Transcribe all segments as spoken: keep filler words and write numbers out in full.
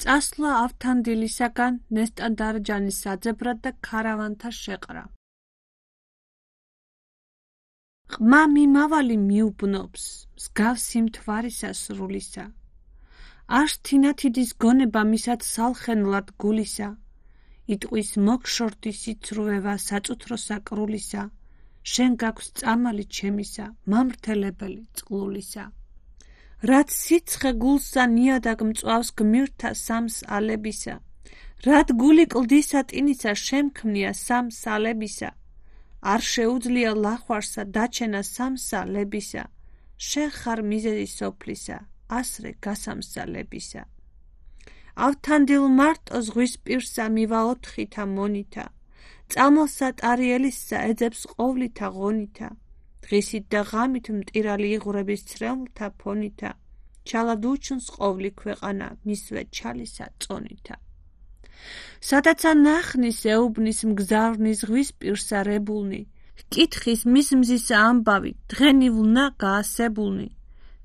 წასვლა ავთანდილისაგან ნესტან-დარჯანის საძებრად და ქარავანთა შეყრა. ყმა მიმავალი მიუბნობს, მსგავსი მთვარისა სრულისა. არ თინათიდის გონება მისად სალხენლად გულისა. იტყვის მოგშორდი სიცრუევა საწუთრო საკრულისა. შენ გაქვს წამალი ჩემისა, მამრთელებელი წყლულისა. რაც სიცხე გულსა ნიადაგ მწვავს გმირთა სამს ალებისა. რად გული კლდისა ტინისა შემქმნია სამს ალებისა. არ შეუძლია ლახვარსა დაჩენა სამსალებისა. შენ ხარ მიზეზი სოფლისა, ასრე გასამსალებისა. ავთანდილ მარტო ზღვის პირსა მივა ოთხითა მონითა. წამალსა ტარიელისსა ეძებს ყოვლითა ღონითა. დღისით და ღამით მტირალი იღვრების ცრემლთა ფონითა. ჩალად უჩნს ყოვლი ქვეყანა მისვე ჩალისა წონითა. სადაცა ნახნის ეუბნის მგზავრნი ზღვის პირსა რებულნი. ჰკითხის მის მზისა ამბავი დღენივლნა გაასებულნი.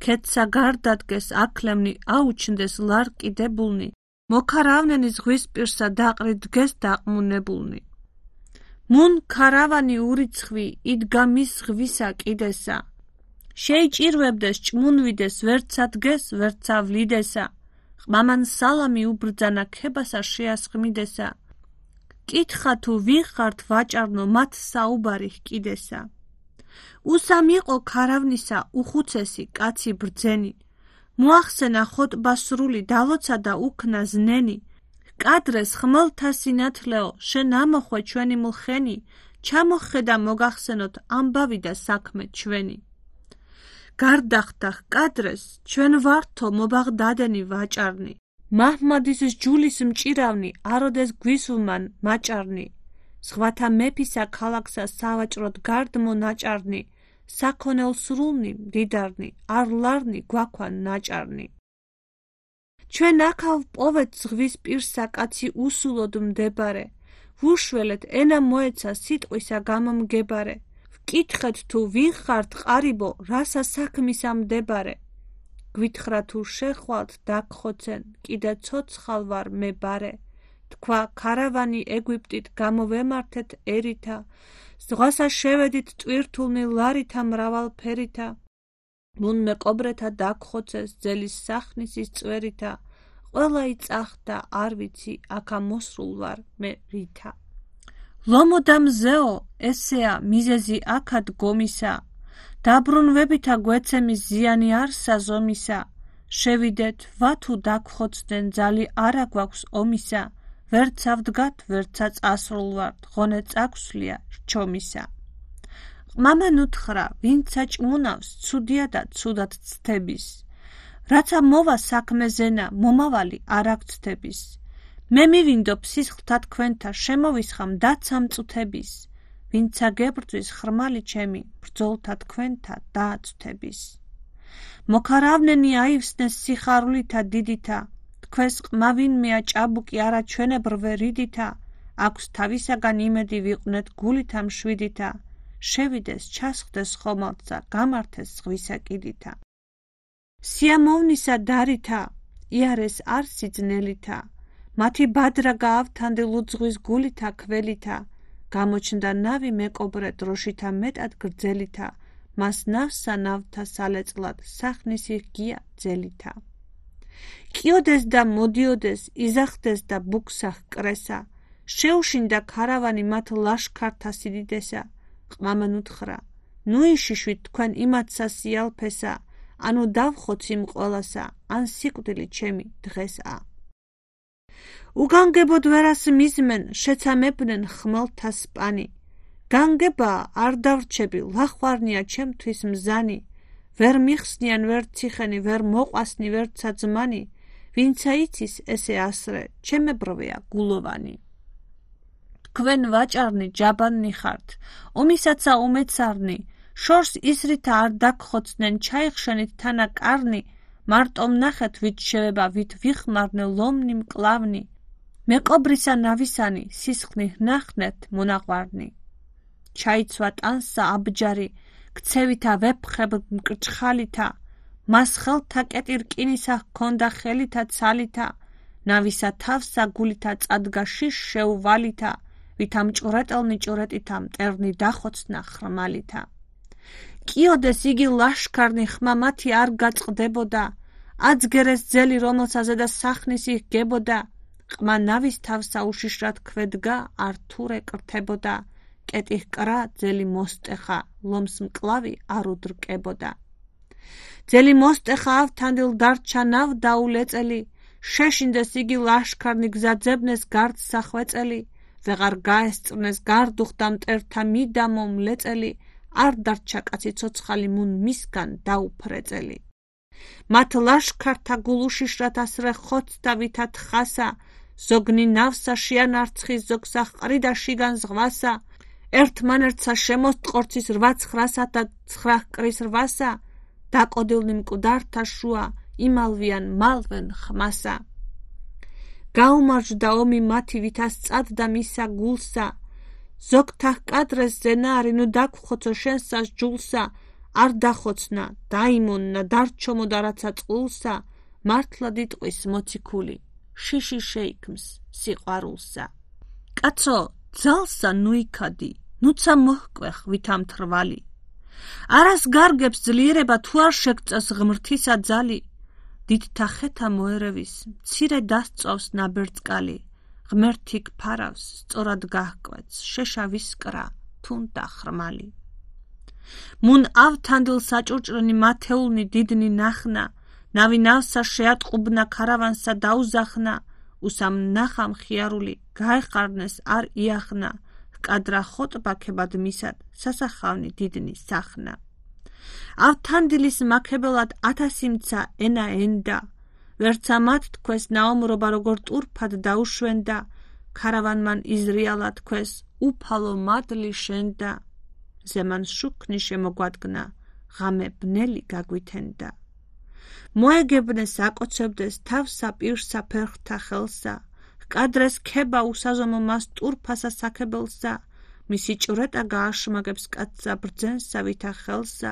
ქეთსა გარდადგეს აკლემნი აუჩნდეს ლარკიდებულნი. მოქარავნენი ზღვის პირსა დაყრი დგეს დაყმუნებულნი. მუნ ქარავანი ურიცხვი იდგა მის ზღვისა კიდესა. შეიჭირვებდეს ჭმუნვიდეს ვერცა დგეს ვერცა ვლიდესა. ყმამან სალამი უბრძანა ქებასა შეასხმიდესა. კითხა თუ ვინ ხართ ვაჭარნო მათ საუბარი ჰკიდესა. უსამ იყო ქარავნისა უხუცესი კაცი ბრძენი. მოახსენა ხოტბა სრული დავოცა და უქნა ზნენი. კადრეს ხმელთა სინათლეო შენ ამოხვე ჩვენი მლხენი. ჩამოხედა მოგახსენოთ ამბავი და საქმე ჩვენი. გარდახტა კადრეს ჩვენ ვართო მობაღდადენი ვაჭარნი. მაჰმადის ჯულის მჭირავნი აროდეს გვისულმან მაჭარნი. ზღვათა მეფისა ქალაქსა სავაჭროდ გარდმო ნაჭარნი. საქონელ სრულნი მდიდარნი არ ლარნი გვაქვა ნაჭარნი. ჩვენ აქავ პოვეთ ზღვის პირსა კაცი უსულოდ მდებარე. ვუშველეთ ენა მოეცა სიტყვისა გამომგებარე. ვკითხეთ თუ ვინ ხართ ყარიბო რასა საქმისა მდებარე. გვითხრა თუ შეხვალთ დაგხოცენ კიდე ცოცხალ ვარ მე ბარე. თქვა ქარავანი ეგვიპტით გამოვემართეთერითა. ზღვასა შევედით ტვირთულნი ლარითა მრავალფერითა. მუნ მეკობრეთა დაგხოცეს ძელის სახნისის წვერითა. ყველა იწახდა არ ვიცი აქა მოსრულ ვარ მე ρίთა. ლომოდა მზეო ესეა მიზეზი აქად გომისა. დაბრუნვებითა გვეცემის ზიანი არ საზომისა. შევიდეთ ვათუ დაგხოცდნენ ძალი არა გვაქვს ომისა. ვერცა ვდგათ ვერცა წასრულ ვართ ღონე წაგვსვლია რჩომისა. ყმამა ნუთხრა ვინცა ჭმუნავს ცუდია და ცუდად ცთების. რაცა მოვა საქმე ზენა მომავალი არ აქცდების. მე მივინდობ სისხლთა თქვენთა შემოვისხამ დაცა მწუთების. ვინცა გებრძვის ხრმალი ჩემი ბრძოლთა თქვენთა დააცვთების. მოქარავნენი აივსნეს სიხარულითა დიდითა. თქვენს ყმა ვინმეა ჭაბუკი არა ჩვენებრვე რიდითა. აქვს თავისაგან იმედი ვიყვნეთ გულითა მშვიდითა. შევიდეს ჩასხდეს ხომალდსა გამართეს ზღვისა კიდითა. სიამოვნისა დარითა იარეს არ სიძნელითა. მათი ბადრა გაავთანდილ უძღვის გულითა ქველითა. გამოჩნდა ნავი მეკობრე დროშითა მეტად გრძელითა. მას ნავსა ნავთა სალეწლად სახნისი ღია ძელითა. კიოდეს და მოდიოდეს იზახდეს და ბუქსა ჰკრესა. შეუშინდა ქარავანი მათ ლაშქართა სიდიდესა. ყმამა ნუთხრა ნუ იშიშვით თქვენ იმათსა სიალფესა. ანუ დავხოციმ ყველასა ან სიკვდილი ჩემი დღესა. უგანგებოდ ვერას მიზმენ შეცამებდნენ ხმელთა სპანი. განგება არ დავრჩები ლახვარნია ჩემთვის მზანი. ვერ მიხსნიან ვერ ციხენი ვერ მოყვასნი ვერცა ძმანი. ვინცა იცის ესე ასრე ჩემებრვეა გულოვანი. თქვენ ვაჭარნი ჯაბანნი ხართ ომისაცა უმეცარნი. შორს ისრითა არ დაგხოცდნენ ჩაიხშენით თანა კარნი. მარტო ნახეთ ვით შევება ვით ვიხმარნე ლომნი მკლავნი. მეკობრისა ნავისანი სისხლი ნახნეთ მონაყვარნი. ჩაიცვა ტანსა აბჯარი ქცევითა ვეფხებ მკრჩხალითა. მას ხელთა კეტი რკინისა ჰქონდა ხელითა ცალითა. ნავისა თავსა გულითა წადგა შიშ შეუვალითა, ვითამ ჭურეტელნი ჭურეტითა მტერნი დახოცნა ხრმალითა. კიოდეს იგი ლაშქარნი ხმა მათი არ გაწყდებოდა, აცგერეს ძელი რომელსაზე და სახნის იქ გებოდა, ყმა ნავის თავსა უშიშრად ქვედგა არ თურე კრთებოდა, კეტიხ კრა ძელი მოსტეხა ლომს მკლავი არ უდრკებოდა. ძელი მოსტეხა ავთანდილ დარჩა ნავ დაულეწელი, შეშინდეს იგი ლაშქარნი გზაძებნეს გარდ სახვეწელი, ვეღარ გაესწრნეს გარდუხდა მტერთა მიდამო მლეწელი, არ დარჩა კაცი ცოცხალი მუნ მისგან დაუფრეწელი. მათ ლაშქართა გულუშიშრად ასრე ხოცთა ვითა თხასა, ზოგნი ნავსა შეანარცხი ზოგსა ყრიდა შიგან ზღვასა, ერთმანერთსა შემოსტყორცის რვა ცხრასა და ცხრა კრის რვასა, დაკოდილნი მკვდართა შუა იმალვიან მალვენ ხმასა. გაუმარჯდა ომი მათი ვითა სწადდა მისა გულსა, ზოგთა ჰკადრეს ზენარი ნუ დაგხოცო შენსას ჯულსა, არ დახოცნა დაიმონნა დარჩომოდა რაცა წყულსა, მართლა დიტყვის მოციქული შიში შეიქმს სიყვარულსა. კაცო ძალსა ნუიქადი, ნუცა მოჰკვეხ ვითა მთრვალი, არას გარგებს ძლიერება თუ არ შეგწევს ღმრთისა ძალი, დიდთა ხეთა მოერევის მცირე დასწვავს ნაბერწკალი, ღმერთი გფარავს სწორად გაჰკვეთს შეშავის კრა თუნდა ხრმალი. მუნ ავთანდილ საჭურჭრენი მათეულნი დიდნი ნახნა, ნავი ნავსა შეატყუბნა ქარავანსა დაუზახნა, უსამ ნახა მხიარული გაეხარნეს არ იახნა, ჰკადრა ხოტბაქებად მისად სასახავნი დიდნი სახნა. ავთანდილის მაქებელად ათასიმცა ენა ენდა, ვერცა მათ თქვეს ნაომრობა როგორ ტურფად დაუშვენდა, ქარავანმან იზრიალა თქვეს უფალო მადლი შენდა, ზემან შუქნი შემოგვადგნა, ღამე ბნელი გაგვითენდა. მოეგებნეს აკოცებდეს თავსა პირსა ფერხთა ხელსა, ჰკადრეს ქება უსაზომო მას ტურფასა საქებელსა, მისი ჭვრეტა გააშმაგებს კაცსა ბრძენსა ვითა ხელსა,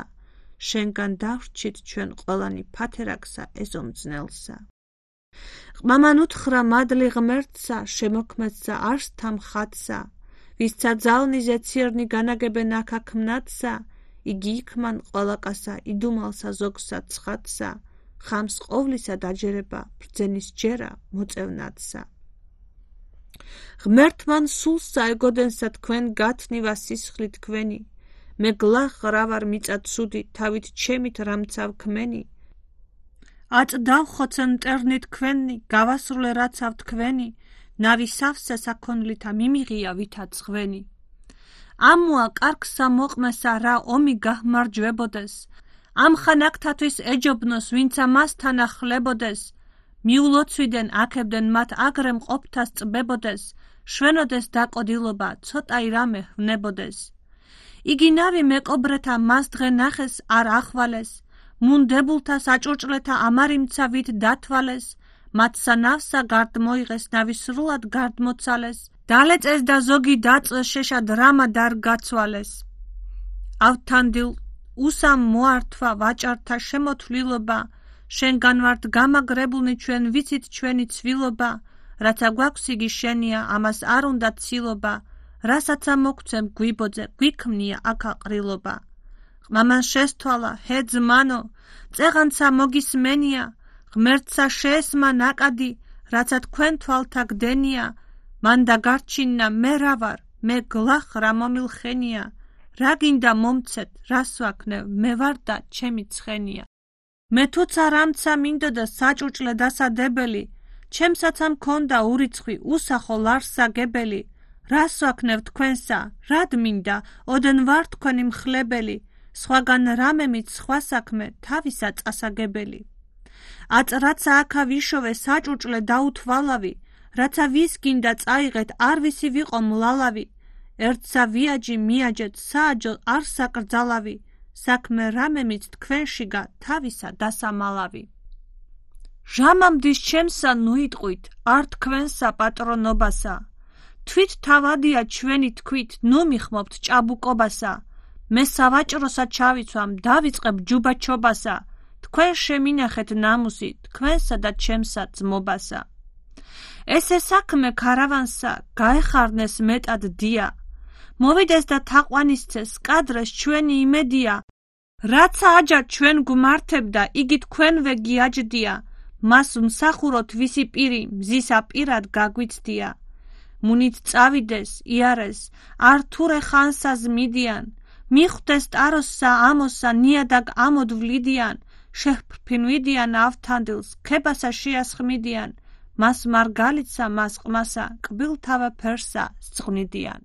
შენგან დავრჩით ჩვენ ყველანი ფათერაკსა ეზომძნელსა. ყმამან უთხრა მადლი ღმერთსა, შემოქმედსა არსთა მხატსა, ვისცა ძალნიზე ცირნი განაგებენ აქ მნათსა, იგი იქმან ყველაკასა იდუმალსა ზოგსა ცხადსა, ხამს ყოვლისა დაჯერება ბრძენის ჯერა მოწევნადსა. ღმერთმან სულსა ეგოდენსა თქვენ გათნივა სისხლი თქვენი, მე გლახ რა ვარ მიწა ცუდი, თავით ჩემით რამცავ ქმენი, აწ დავხოცენ მტერნი თქვენი, გავასრულე რაცავ თქვენი, ნავი სავსე საქონლითა მიმიღია ვითა ცხვენი. ამოა კარგსა მოყმესა რა ომი გაჰმარჯვებოდეს, ამხან აქთათვის ეჯობნოს ვინცა მასთან ახლებოდეს, მიულოცვიდენ აქებდნენ მათ აგრე მყოფთას წბებოდეს, შვენოდეს დაკოდილობა ცოტაი რამე ვნებოდეს. იგი ნავი მეკობრეთა მას დღე ნახეს არ ახვალეს, მუნდებულთა საჭურჭლეთა ამარიმცა ვით დათვალეს, მათსა ნავსა გარდ მოიღეს ნავი სრულად გარდ მოცალეს, დალეწეს და ზოგი დაწვეს შეშად რამა დარ გაცვალეს. ავთანდილ უსამ მოართვა ვაჭართა შემოთვლილობა, შენგან ვართ გამაგრებულნი ჩვენ ვიცით ჩვენი ცვილობა, რაცა გვაქვს იგი შენია ამას არ უნდა ცილობა, რასაცა მოგცემ გვიბოძე გვიქმნია აქა ყრილობა. ყმამან შესთვალა ჰე ძმანო, წეღანცა მოგისმენია, ღმერთსა შეესმა ნაკადი, რაცა თქვენ თვალთა გდენია, მან და გარჩინნა მე რა ვარ, მე გლახ რა მომილხენია, რა გინდა მომცეთ, რას ვაქნევ, მე ვარ და ჩემი ცხენია. მე თუცა რამცა მინდოდა საჭურჭლე დასადებელი, ჩემსაცა მქონდა ურიცხვი უსახო ლარსაგებელი, რას ვაქნევ თქვენსა, რად მინდა, ოდენ ვარ თქვენი მხლებელი, სხვაგან რამემით სხვა საქმე თავისა წასაგებელი. აწ რაცა აქა ვიშოვე საჭურჭლე დაუთვალავი, რაცა ვის გინდა წაიღეთ არ ვისი ვიყო მლალავი, ერთსა ვიაჯი მიაჯეთ სააჯო არ საკრძალავი, საქმე რამემით თქვენშიგა თავისა დასამალავი. ჟამამდის ჩემსა ნუიტყვით არ თქვენსა პატრონობასა, თვით თავადია ჩვენი თქვით ნუ მიხმობთ ჭაბუკობასა, მე სავაჭროსა ჩავიცვამ დავიწყებ ჯუბაჩობასა, თქვენ შემინახეთ ნამუსი თქვენსა და ჩემსა ძმობასა. ესე საქმე ქარავანსა გაეხარნეს მეტად დია, მოვიდეს და თაყვანისცეს კადრეს ჩვენი იმედია, რაცა აჯა ჩვენ გვმართებდა, იგი თქვენვე გიაჯდია, მას მსახუროთ ვისი პირი მზისა პირად გაგვიცდია. მუნით წავიდეს, იარეს, ართურე ხანსა ზმიდიან, მიხვდეს ტაროსსა ამოსსა ნიადაგ ამოდვლიდიან, შეჰფრფინვიდიან ავთანდილს, ქებასა შეასხმიდიან, მას მარგალიტსა მას ყმასა, კბილთავა ფერსა სწღვნიდიან.